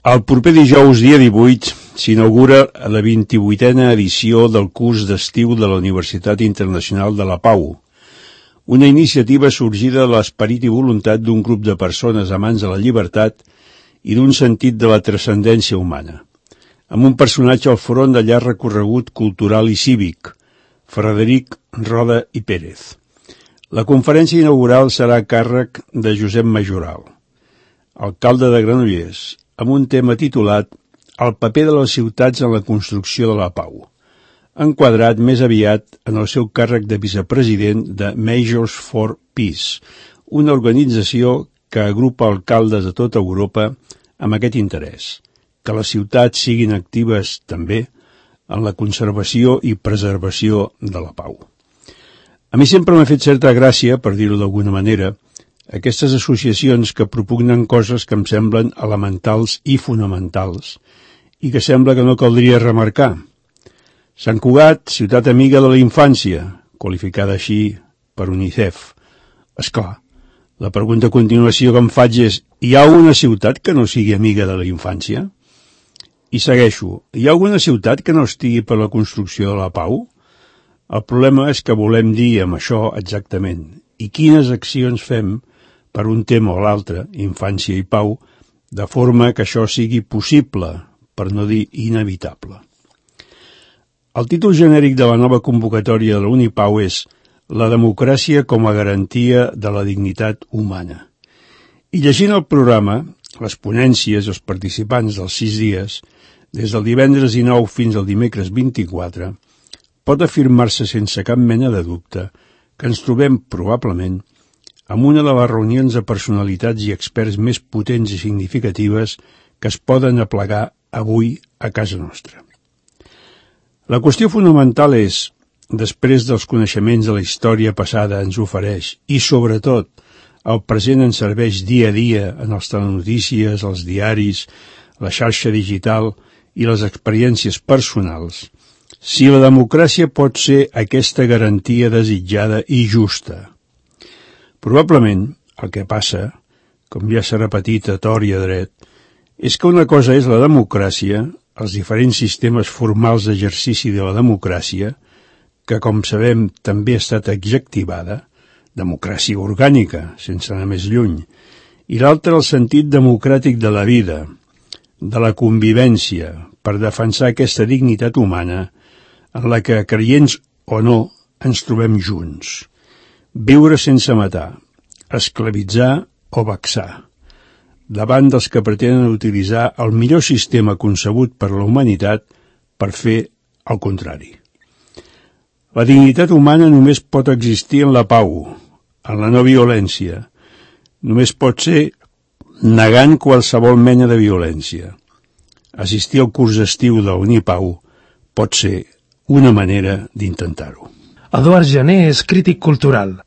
El proper dijous, dia 18, s'inaugura la 28a edició del curs d'estiu de la Universitat Internacional de la Pau, una iniciativa sorgida de l'esperit i voluntat d'un grup de persones amants de la llibertat i d'un sentit de la transcendència humana, amb un personatge al front de llarg recorregut cultural i cívic, Frederic Roda i Pérez. La conferència inaugural serà a càrrec de Josep Majoral, alcalde de Granollers, amb un tema titulat El paper de les ciutats en la construcció de la pau, enquadrat més aviat en el seu càrrec de vicepresident de Measures for Peace, una organització que agrupa alcaldes de tota Europa amb aquest interès, que les ciutats siguin actives també en la conservació i preservació de la pau. A mi sempre m'ha fet certa gràcia, per dir-ho d'alguna manera, aquestes associacions que propugnen coses que em semblen elementals i fonamentals i que sembla que no caldria remarcar. Sant Cugat, ciutat amiga de la infància, qualificada així per UNICEF. Esclar, la pregunta a continuació que em faig és: hi ha alguna ciutat que no sigui amiga de la infància? I segueixo, hi ha alguna ciutat que no estigui per la construcció de la pau? El problema és que volem dir amb això exactament i quines accions fem per un tema o l'altre, infància i pau, de forma que això sigui possible, per no dir inevitable. El títol genèric de la nova convocatòria de la Unipau és La democràcia com a garantia de la dignitat humana. I llegint el programa, les ponències i els participants dels 6 dies, des del divendres 19 fins al dimecres 24, pot afirmar-se sense cap mena de dubte que ens trobem, probablement, amb una de les reunions de personalitats i experts més potents i significatives que es poden aplegar avui a casa nostra. La qüestió fonamental és, després dels coneixements de la història passada ens ofereix, i sobretot el present ens serveix dia a dia en les telenotícies, els diaris, la xarxa digital i les experiències personals, si la democràcia pot ser aquesta garantia desitjada i justa. Probablement, el que passa, com ja s'ha repetit a tort i a dret, és que una cosa és la democràcia, els diferents sistemes formals d'exercici de la democràcia, que, com sabem, també ha estat adjectivada, democràcia orgànica, sense anar més lluny, i l'altra el sentit democràtic de la vida, de la convivència, per defensar aquesta dignitat humana en la que, creients o no, ens trobem junts. Viure sense matar, esclavitzar o vexar, davant dels que pretenen utilitzar el millor sistema concebut per la humanitat per fer el contrari. La dignitat humana només pot existir en la pau, en la no violència. Només pot ser negant qualsevol mena de violència. Assistir al curs d'estiu de la Unipau pot ser una manera d'intentar-ho. Eduard Jané és crític cultural.